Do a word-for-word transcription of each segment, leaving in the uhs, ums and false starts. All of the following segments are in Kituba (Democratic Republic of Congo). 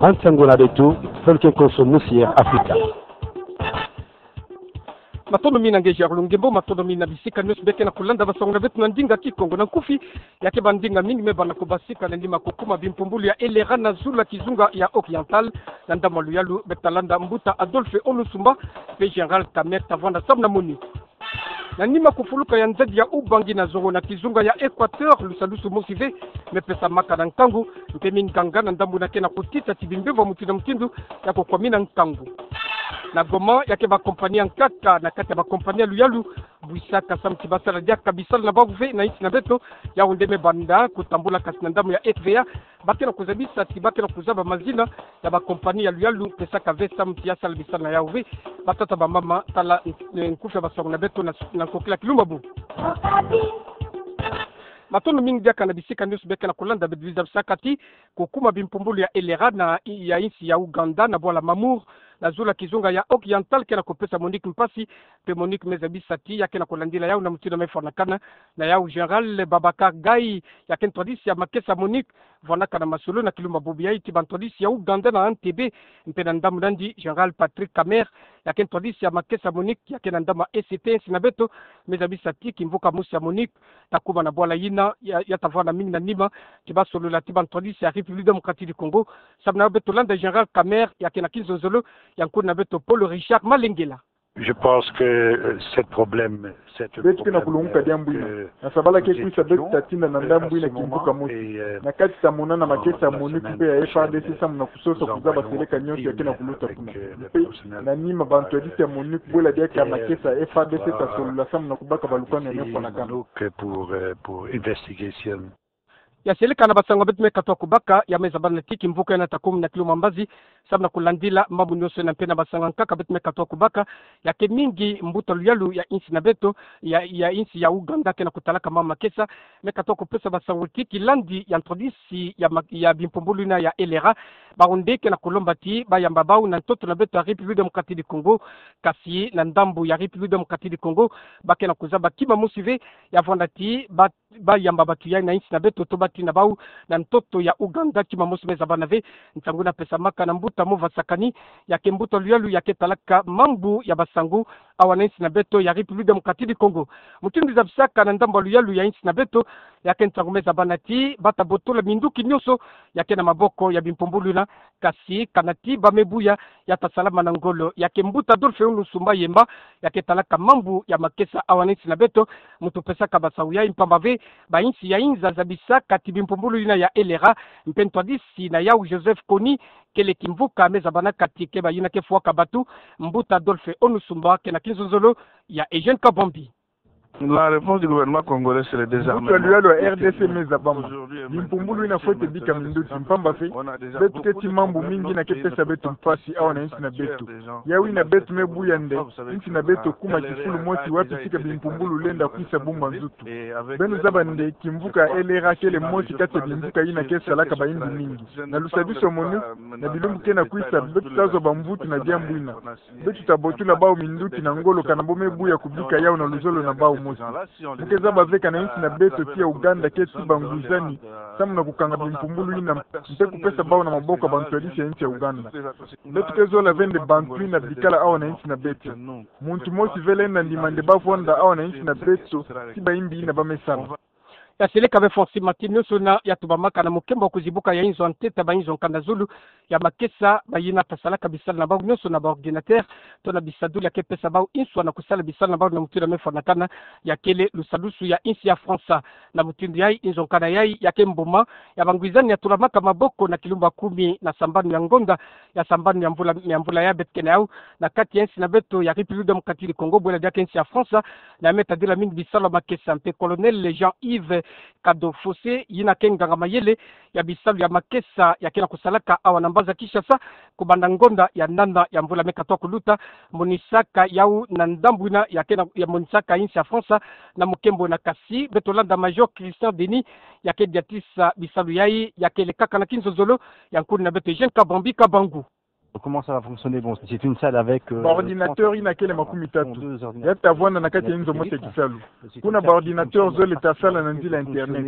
Ansango na beto, feleke nkoso musi Air Africa. Matondo mingi na ngeja ya kolo ngembo, matondo mingi na bisika nioso beke na kulanda basango na beto na ndinga Kikongo. Na nkufi, ya keba ndinga mingi me bana ko basika na nima kukuma bimpumbulu ya Elera na zulu ya kizunga ya Oriental, na ndambu ya luyalu beta landa mbuta Adolphe Onusumba, mpe Général Kamerhe ta vwanda samu na moni. Na nima kufuluka ya nzadi ya Ubangi na zongo na kizunga ya Equateur, lusadusu mosi ve me pesamaka na nkangu, mpe minganga na ndambu na ke na kutita ti bimbevo mutindu na mutindu ya kukwamina nkangu. Na Goma, ya ke ba kompani ya nkaka na kati ya ba kompani ya luyalu bwisaka samu ti basala diaka bisalu na bawu ve na insi na beto, yawu nde me banda kutambula kasi na ndambu ya F V A, ba ke na kuzabisa ti ba ke na kuzaba mazina ya ba kompani ya luyalu pesaka ve samu ti ya sala bisalu na yawu ve. Batata, bamama, tala, eh, nkufi ya basango na beto na, na nkokila kilumbu. Matondo mingi diaka na bisika nioso beke na kulanda beto. Zabisaka ti kukuma bimpumbulu ya Elera na, ya insi ya Ouganda na bwala Mamur, na zulu ya kizunga ya Oriental ke na kupesa MONUC mpasi, mpe MONUC me zabisa ti ya ke na kulandila yawu na mutindu me fwanakana na yawu. Général Babacar Gaye, ya ke ntwadisi ya makesa MONUC, vwanaka na masolo na kilumbu bubu yayi ti bantwadisi ya Ouganda na Entebbe, mpe na ndambu nandi Général Patrick Kamerhe, ya ke ntwadisi ya makesa MONUC, ya ke na ndambu ya E C T, insi na beto me zabisa ti kimvuka mosi ya MONUC ta kuma na bwala yina, ya, ya ta vwanda mingi na nima ti basolola ti bantwadisi ya République Démocratique du Congo. Samu na yo beto landa Général Kamerhe, ya ke na kinzonzolo ya nkuna beto Paul Richard Malengela. Je pense que, euh, ce problème, cette Beto ke na kulunguka diambu ina. Na sabala ke kwisa beto ta tinda na ndambu ina kimvuka mosi. Na kati ta mona na makesa MONUC mpe ya F A R D C samu na kusosa kuzaba seleka nioso ya ke na kuluta kuna. Mpe na nima bantwadisi ya MONUC bwela diaka makesa F A R D C ta solola samu na kubaka balukanu ya me fwanakana. Donc, pour, euh, pour investigation. Ya seleka na basango beto me katuka kubaka, ya me zabana ti kimvuka ina ta kuma na kilumbu mbazi samu na kulandila mambu nioso ina. Mpe na basango ya nkaka beto me katuka kubaka, ya ke mingi mbuta luyalu ya insi na beto, ya, ya insi ya Ouganda ke na kutalaka mama makesa, me katuka kupesa basango ti kilandi ya ntwadisi ya ma-, ya bimpumbulu ina ya Elera, bawu nde ke na kulomba ti bayamba bawu na ntoto na beto ya République Démocratique du Congo, kasi na ndambu ya République Démocratique du Congo ba ke na kuzaba kima mosi ve ya vwanda ti ba bayamba bato yayi na insi na beto to batinda bawu na ntoto ya Ouganda. Kima mosi me zabana ve. Nsangu ina pesamaka na mbuta Mova Sakani, ya ke mbuta luyalu ya ke talaka mambu ya basango awa na insi na beto ya République Démocratique du Congo. Mutindu zabisaka na ndambu ya luyalu ya insi na beto, ya ke nsangu me zabana ti ba ta botola minduki nioso ya ke na maboko ya bimpumbulu ina, kasi kana ti ba me buya ya ta salama na ngolo. Ya ke mbuta Adolphe Onusumba Yemba, ya ke talaka mambu ya makesa awa na insi na beto, muntu pesaka basango yayi mpamba ve, ba insi ya inza zabisaka ti bimpumbulu ina ya Elera, mpe ntwadisi na yawu Joseph Kony, kele kimvuka me zabanaka ti keba yina ke fwaka bato, mbuta Adolphe Onusumba ke na kinzonzolo ya Eugène Kabambi. La réponse du gouvernement congolais, c'est le désarmement. Mbuta luyalu ya R D C me zabama. Bimpumbulu ina fwete bika minduki mpamba ve, beto keti mambu mingi ina ke pesa beto mpasi awa na insi na beto. Yawu ina beto me buya nde, insi na beto kuma kifulu mosi wapi tika bimpumbulu lenda kwisa bumba nzutu. Beno zaba nde kimvuka Elera kele mosi kati ya bimvuka ina ke salaka bayimbi mingi. Na lusadusu ya MONUC, na bilumbu ke na kwisa, beto ta zwa bamvutu na diambu ina. Beto ta botola bawu minduki na ngolo kana bo me buya kubika yawu na luzolo na bawu mosi. Mu ke zaba ve kana insi na beto ti ya Ouganda keti bangwizani samu na kukanga bimpumbulu ina, mpe kupesa bawu na maboko ya bantwadisi ya insi ya Ouganda. Beto ke zola ve nde bantu ina bikala awa na insi na beto. Muntu mosi ve lenda ndima nde ba vwanda awa na insi na beto ti bayimbi ina ba me sala. Ya seleka ve Fonsi Martin, nioso ina ya tubamaka na mukembo wa kuzibuka ya inzo ya ntete ya ba inzo ya nkanda zulu ya makesa, bayina ta salaka bisalu na bawu nioso na ba ordinateur, to na bisadulu ya ke pesa bawu inswa na kusala bisalu na bawu na mutindu ya me fwanakana, ya kele lusadusu ya insi ya Fransa. Na mutindu yayi, inzo ya nkanda yayi ya ke mbuma ya bangwizani ya tulamaka maboko na kilumbu ya kumi na sambanu ya ngonda ya sambanu ya mvula, ya mvula ya beto ke na yawu, na kati ya insi na beto ya République Démocratique du Congo, bwela diaka insi ya Fransa, na ya me tadila mingi bisalu ya makesa. Mpe Colonel Jean-Yves Kadofose, yina ke nganga-mayele ya bisalu ya makesa ya ke na kusalaka awa na mbanza Kinshasa, kubanda ngonda ya nana ya mvula me katuka kuluta, monisaka yawu na ndambu ina ya ke na, ya monisaka insi ya Fransa na mukembo ina. Kasi beto landa Major Christian Denis, ya ke diatisa bisalu yayi, ya kele kaka na kinzonzolo ya nkuna beto Eugène Kabambi Kabangu. Comment ça va fonctionner ? Bon, c'est une salle avec, euh, ba ordinateur ina kele makumi tatu. Ya ta vwanda na kati ya inzo mosi ya kisalu. Kuna ba ordinateur zole ta sala na nzila internet.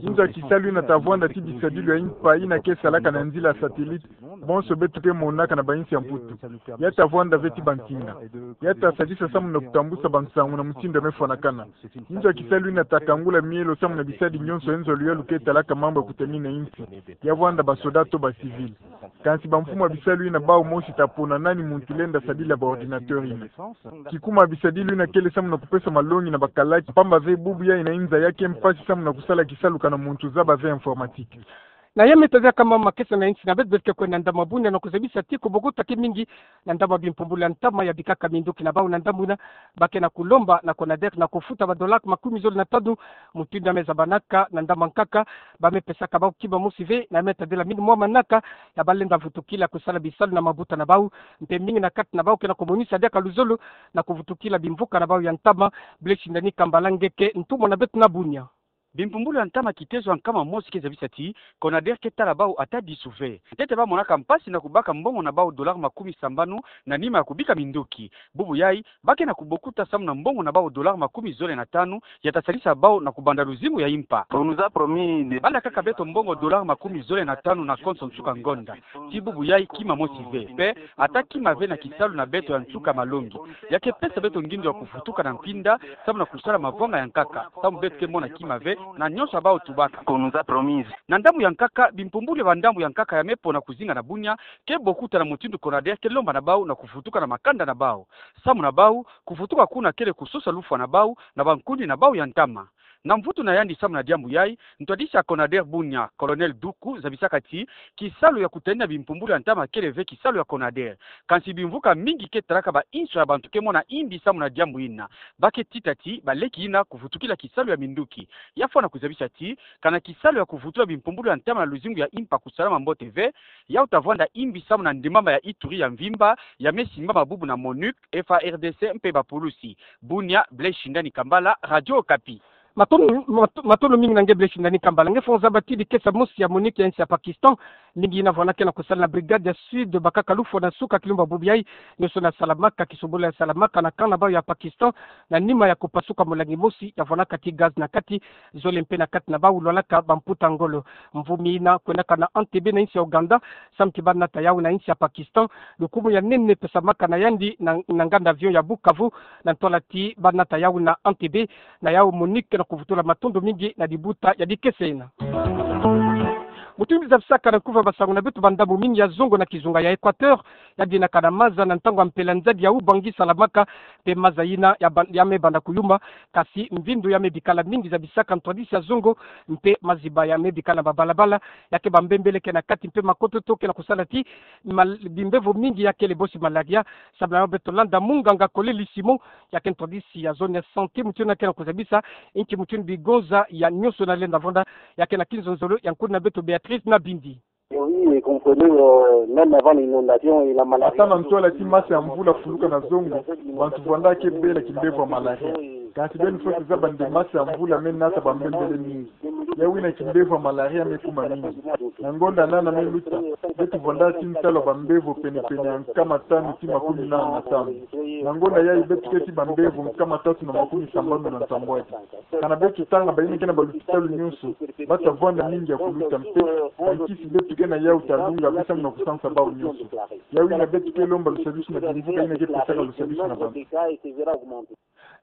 Inzo ya kisalu ina ta vwanda ti bisadulu ya impa ina ke salaka na nzila satellite. Bonso beto ke monaka na ba insi ya Mputu. Ya ta vwanda ve ti bantinga. Ya ta sadisa samu na kutambusa bansangu na mutindu ya mefwanakana. Nzo ya kisalu ina ta kangula mielo samu na bisadi nyonso ya nzo ya luyalu ke talaka mambu ya kutamina insi. Ya vwanda ba soda to ba civil. Kansi bamfumu ya bisalu ina bau mosi ta pona nani muntu lenda sadila ba ordinateur ina. Kikuma bisadilu ina kele samu na kupesa malongi na bakalaki, pamba ve bubu ya ina inza ya ke mpasi samu na kusala kisalu kana muntu zaba ve informatique. Na ya me tazia kama makesa na insi na beto, beto ke kwenda ndambu ya bunia na kuzabisa ti ko bokota ke mingi na ndambu ya bimpumbulu ya ntama ya bikaka minduki na bau na ndambu ina, ba ke na kulomba na CONADER na kufuta ba dollars makumi zole na tanu, mutindu ya mezabanaka na ndambu ya nkaka, ba mepesaka bau kima mosi ve, na ya me tadila mingi mwa manaka ya ba lenda vutukila kusala bisalu na mabuta na bau, mpe mingi na kati na bau ke na kumonisa diaka luzolo na kuvutukila bimvuka na bau ya ntama. Blaise Shindani Kambala nge ke ntumwa na beto na bunia. Bimpumbulu ya ntama kitezo ya nkama mosi ke zabisa ti CONADER ke tala bau ata disu ve. Ntete ba monaka mpasi na kubaka mbongo na bau dollars makumi sambanu na nima ya kubika minduki. Bubu yai, ba ke na kubokuta samu na mbongo na bau dollars makumi zole na tanu, ya ta sadisa bau na kubanda luzingu ya impa. On nous a promis des... Ba landa kaka beto mbongo dollars makumi zole na tanu na konso nsuka ngonda. Ti bubu yai kima mosi ve. Mpe, ata kima ve na kisalu na beto ya nsuka malongi. Ya ke pesa beto ngindu ya kuvutuka na mpinda, samu na kusala mavwanga ya nkaka. Samu beto ke mona kima ve, na nyonso ya bau tubaka. Qu'on nous a promis. Na ndambu ya nkaka, bimpumbulu ya ba ndambu ya nkaka ya mepona kuzinga na bunia, ke bokuta na mutindu CONADER ke lomba na bau na kuvutuka na makanda na bau. Samu na bau, kuvutuka kuna kele kusosa lufwa na bau, na bankundi na bau ya ntama. Na mvutu na yandi samu na diambu yai, ntwadisi ya CONADER bunia, Colonel Duku, zabisaka ti, kisalu ya kutanina bimpumbulu ya ntama kele ve kisalu ya CONADER. Kansi bimvuka mingi ke talaka ba inso ya bantu ke mona imbi samu na diambu ina. Ba ke tita ti, baleki ina kuvutukila kisalu ya minduki. Ya fwana kuzabisa ti, kana kisalu ya kuvutula bimpumbulu ya ntama na luzingu ya impa kusalama mbote ve, yau ta vwanda imbi samu na ndembama ya Ituri ya mvimba, ya mesimbama bubu na MONUC, F A R D C mpe bapulusi. Bunia, Blaise Shindani Kambala, Radio Okapi. Matondo, mato-, matondo mingi na nge Blaise Shindani Kambala. Nge fo zaba ti dikesa mosi ya MONUC ya insi ya Pakistan, mingi ina vwandaka na kusala na Brigade ya Sud, bakaka lufwa na nsuka kilumbu bubu yai, nyonso ina salamaka, kisobolo ya salamaka na camp na bau ya Pakistan, na nima ya kupasuka molangi mosi ya vwandaka ti gaz na kati, zole mpe na kati na bau lwalaka bamputa ngolo. Mvu mi ina kwendaka na Entebbe na insi ya Ouganda, samu ti ba nata yau na insi ya Pakistan, lukumu ya nene pesamaka na yandi na, na nganda avion ya Bukavu, na ntwala ti ba nata yau na Entebbe, na yau MONUC na kuvutula matondo mingi na dibuta ya dikesa ina. Mutindu zabisaka na nkufi ya basangu na beto, ba ndambu mingi ya zongo na kizunga ya Equateur, ya dinaka na maza na ntangu ya mpela nzadi ya Ubangui salamaka, mpe maza ina ya ban-, ya me banda kuyuma, kasi mvindu ya me bikala mingi zabisaka ntwadisi ya zongo, mpe maziba ya me bikala na babalabala, ya ke bambembele ke na kati mpe makototo ke na kusala ti mal-, bimbevo mingi ya kele bosi malaria, samu na yau beto landa munganga Koleli Simon, ya ke ntwadisi ya zone ya santé, mutindu ina ke na kuzabisa, inki mutindu bigonza ya nyonso ina lenda vwanda, ya ke na kinzonzolo ya nkuna beto Béatrice Nabindi. Oui, et comprenez, euh, même avant l'inondation, il a mal... Ata na ntwala ti masa ya mvula fuluka na zongo, bantu vwandaka ke bela kimbevo ya malaria. Kansi beno fwete zaba nde masa ya mvula me nata bambembele mingi. Yau ina kimbevo ya malaria me kuma mingi. Na ngonda nana me luta, beto vwandaka ti ntalu ya bambevo penepene ya nkama tanu ti makumi nana na tanu. Na ngonda yai beto keti bambevo nkama tatu na makumi sambanu na nsambwadi. Kana beto tanga bayina ke na balupitalu nyonso, ba ta vwanda mingi ya kuluta mpe, bankisi beto ke na yau ta lunga ve samu na kusansa bau nyonso. Yau ina beto ke lomba lusadisu na bimvuka ina ke pesaka lusadisu na bantu.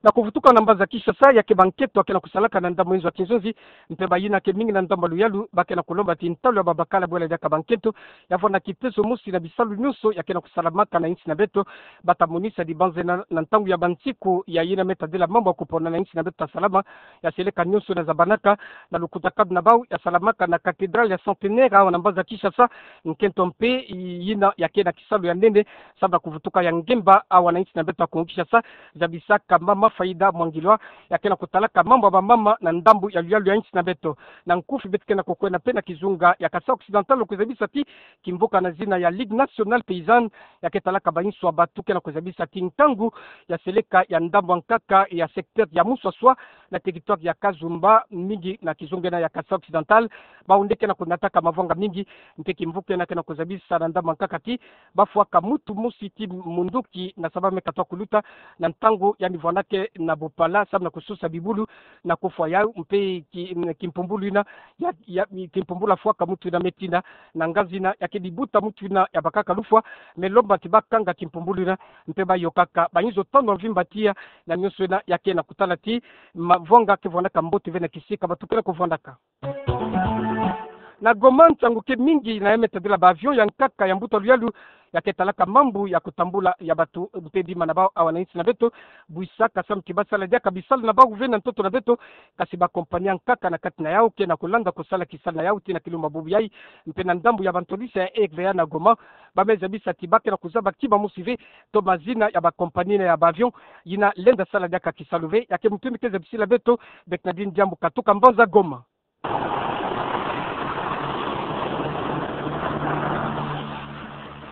Na kuvutuka na mbanza Kinshasa, ya ke bankento ya ke na kusalaka na ndambu ya nzo ya kinzonzi, mpe bayina ke mingi na ndambu ya luyalu, ba ke na kulomba ti ntalu ya babakala bwela diaka bankento, ya vwanda kitezo mosi na bisalu nyonso ya ke na kusalamaka na insi na beto, ba ta monisa dibanzeno na ntangu ya bansiku ya yina me tadila mambu ya kupona na insi na beto ta salama, ya seleka nyonso ina zabanaka, na lukutakanu na bau ya salamaka na cathédrale ya Centenaire awa na mbanza Kinshasa, nkento mpe yina ya ke na kisalu ya nene, samu na kuvutuka ya ngemba awa na insi na beto ya Kongo Kinshasa, zabisaka mama Faida Mwangilwa, ya ke na kutalaka mambu ya bamama na ndambu ya luyalu ya insi na beto. Na nkufi beto ke na kukwenda mpe na kizunga ya Kasaï Occidental, kuzabisa ti kimvuka na zina ya Ligue Nationale Paysanne, ya ke talaka bainso ya batu ke na kuzabisa ti nkangu ya seleka ya ndambu ya nkaka ya secteur ya Muswaswa na territoire ya Kazumba, mingi na kizunga ina ya Kasaï Occidental, bau nde ke na kunataka mavanga mingi, mpe kimvuka ina ke na kuzabisa na ndambu ya nkaka ti bafwaka mutu mosi ti munduki na saba me katoa kuluta na ntangu yandi vwandaka se na bupala, samu na kususa bibulu na kufwa yau, mpe ki, kimpumbulu ina, ya, ya, kimpumbulu afwaka muntu ina metina, na ngazi ina, ya kedi buta muntu ina, ya bakaka lufwa, me lomba ti bakanga kimpumbulu ina, mpe bayokaka, ba ngizo tanu mvimba tiya, na nionso ina, ya kena kutala ti, mavwanga ke vwandaka mbote ve na kisika, batu kena kuvwandaka. Na Goma ntangu ke mingi na ya metadila ba avion ya nkaka ya mbuta luyalu ya ke talaka mambu ya kutambula ya batu mpe bima na bau awa na insi na beto, bwisaka samu ti basala diaka bisalu na bau ve na ntoto na beto, kasi ba compagnie ya nkaka na kati na yau kena kulanda kusala kisalu na yau tii na kilumbu bubu yai, mpe na ndambu ya bantwadisi ya R V A na Goma, ba me zabisa ti ba kena kuzaba kima mosi ve, to mazina ya ba compagnie na ya ba avion, yina lenda sala diaka kisalu ve, ya ke muntu ina ke zabisila beto, Bernardine Diambu katuka mbanza Goma.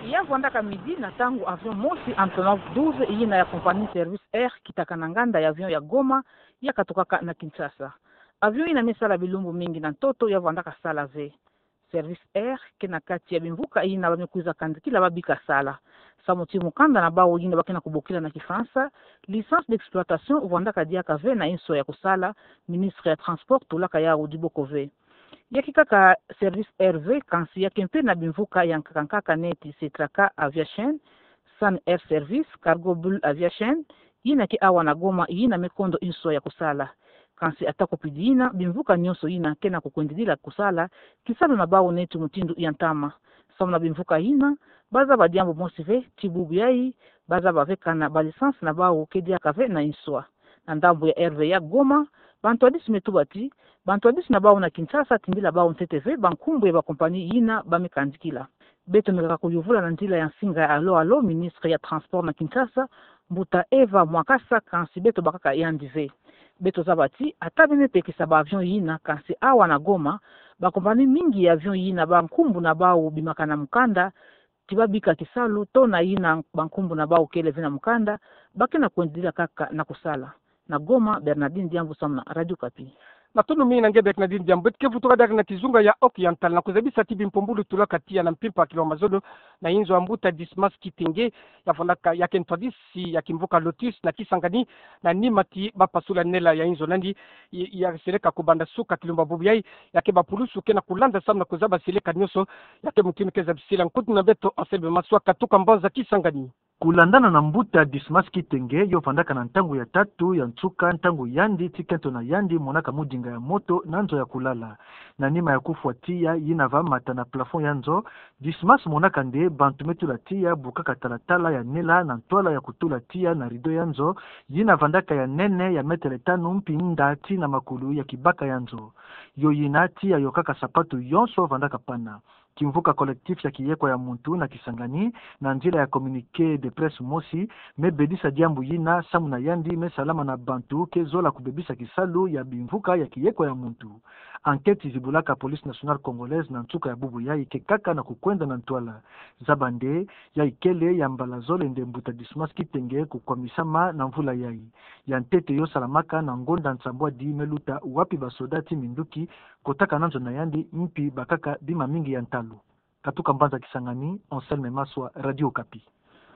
Ya vwandaka midi na ntangu avion mosi Antonov douze yina ya compagnie Service Air kitaka na nganda ya avion ya Goma, ya katukaka na Kinshasa. Avion yina me sala bilumbu mingi na ntoto ya vwandaka sala ve. Service Air ke na kati ya bimvuka yina ba me kwiza kandikila ba bika sala. Samu ti mukanda na bau yina ba kena kubokila na Kifalansa, licence d'exploitation vwandaka diaka ve na inso ya kusala, ministre ya transport tulaka yau diboko ve. Ya ke kaka Service Air ve, kansi ya ke mpe na bimvuka ya nkaka nkaka neti Setraka Aviation, Sun Air Service, Cargo Bull Aviation, yina ke awa na Goma yina me kondo inso ya kusala. Kansi atako pidi yina, bimvuka nionso yina kena kukwendidila kusala kisalu na bau neti mutindu ya ntama. Samu na bimvuka yina, ba zaba diambu mosi ve, ti bubu yai, ba zaba ve kana ba licence na bau ke diaka ve na inso. Na ndambu ya R V A Goma, bantwadisi me tuba ti, bantwadisi na bau na Kinshasa tindila bau ntete ve ba nkumbu ya ba compagnie yina ba me kandikila. Beto me kaka kuyuvula na nzila ya nsinga ya alo alo, ministre ya transport na Kinshasa, mbuta Eva Mwakasa, kansi beto bakaka yandi ve. Beto zaba ti, ata be me pekisa ba avion yina, kansi awa na Goma, ba compagnie mingi ya avion yina ba nkumbu na bau bimaka na mukanda, ti ba bika kisalu, to na yina ba nkumbu na bau kele ve na mukanda, ba kena kwendidila kaka na kusala. Na Goma, Bernardine Diambu samu na Radio Okapi. Matondo mingi na nge Bernardine Diambu, beto ke vutuka diaka na kizunga ya Oriental, na kuzabisa ti bimpumbulu tulaka tiya na mpimpa ya kilo mazono, na inzo ya mbuta Dismas Kitenge, ya vwandaka ya ke ntwadisi ya kimvuka Lotus na Kisangani, na nima ti ba pasula nela ya inzo nandi, ya, ya seleka kubanda suka kilumbu bubu yai, ya ke ba pulusu kena kulanda samu na kuzaba seleka nionso, ya ke muntu ina ke zabisila nkutu na beto Anselme Maswa katuka mbanza Kisangani. Kulandana na mbuta Dismas Kitenge, yo vandaka na ntangu ya tatu ya nsuka, ntangu yandi ti kento na yandi monaka mudinga ya moto na nzo ya kulala. Na nima ya kufwa tiya yina va mata na plafond ya nzo, Dismas monaka nde bantu me tula tiya, bukaka talatala ya nela na ntwala ya kutula tiya na rideau ya nzo, yina vandaka ya nene ya metele tanu mpi nda tii na makulu ya kibaka ya nzo. Yo yina tiya yokaka sapatu yonso vandaka pana. Kimvuka collectif ya kiyekwa ya muntu na Kisangani, na nzila ya communiqué de presse mosi, me bedisa diambu yina, samu na yandi me salama na bantu ke zola kubebisa kisalu ya bimvuka ya kiyekwa ya muntu. Enquête zibulaka Police Nationale Congolaise na nsuka ya bubu yai ke kaka na kukwenda na ntwala. Zaba nde, yai kele ya mbala zole nde mbuta Dismas Kitenge kukwamisama na mvula yai. Ya ntete yo salamaka na ngonda nsambwadi me luta wapi ba soda ti minduki kotaka na nzo na yandi mpi bakaka bima mingi ya ntalu. Katuka mbanza Kisangani, Anselme Maswa, Radio Okapi.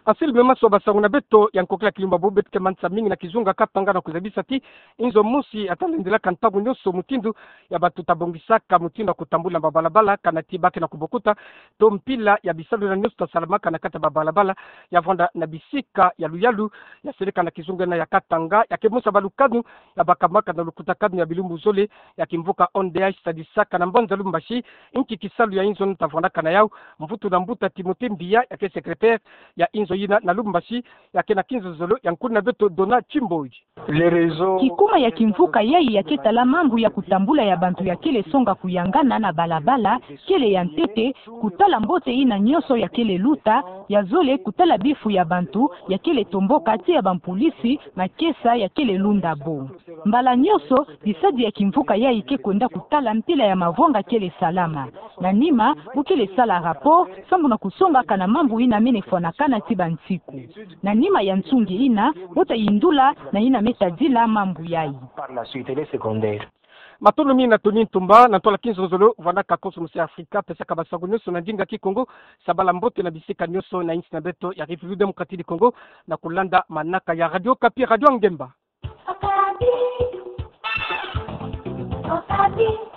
Anselme Maswa, basangu na beto ya nkokila kilumbu bubu, beto ke manisa mingi na kizunga Katanga na kuzabisa ti inzo mosi ata lendilaka ntangu nionso mutindu ya bato ta bongisaka mutindu ya kutambula na babalabala, kana ti ba kena kubokuta to mpila ya bisalu na nionso ta salamaka na kati ya babalabala, ya vwanda na bisika ya luyalu ya seleka na kizunga na ya Katanga, ya ke musa balukanu ya bakamaka na lukutakanu ya bilumbu zole ya kimvuka O N D H sadisaka na mbanza Lubumbashi, inki kisalu ya inzo nta vwandaka na yau, mvutu na mbuta Timothée Mbiya, ya ke secrétaire ya inzo yina na Lubumbashi, ya ke na kinzonzolo ya nkuna beto Dona Chimboji. Kikuma ya kimvuka yai ya ke tala mambu ya kutambula ya bantu ya kele songa kuyangana na balabala, kele ya ntete, kutala mbote yina nionso ya kele luta, ya zole kutala bifu ya bantu ya kele tomboka tii ya bampulisi, makesa ya kele lunda bo. Mbala nionso, bisadi ya kimvuka yai ke kwenda kutala mpila ya mavwanga kele salama. Na nima, bo kele sala rapport, sambu na kusonga kana mambu yina mene fwanakana tii bansiku. Na nima ya nsungi yina, bo ta yindula na yina me tadila mambu yai. Matondo mingi na Tony Ntumba, na ntwala kinzonzolo, vwandaka Cosmos Africa, pesaka basangu nionso na ndinga Kikongo, sabala mbote na bisika nionso na insi na beto ya République Démocratique du Congo, na kulanda manaka ya Radio Okapi, Radio Ngemba. Tokami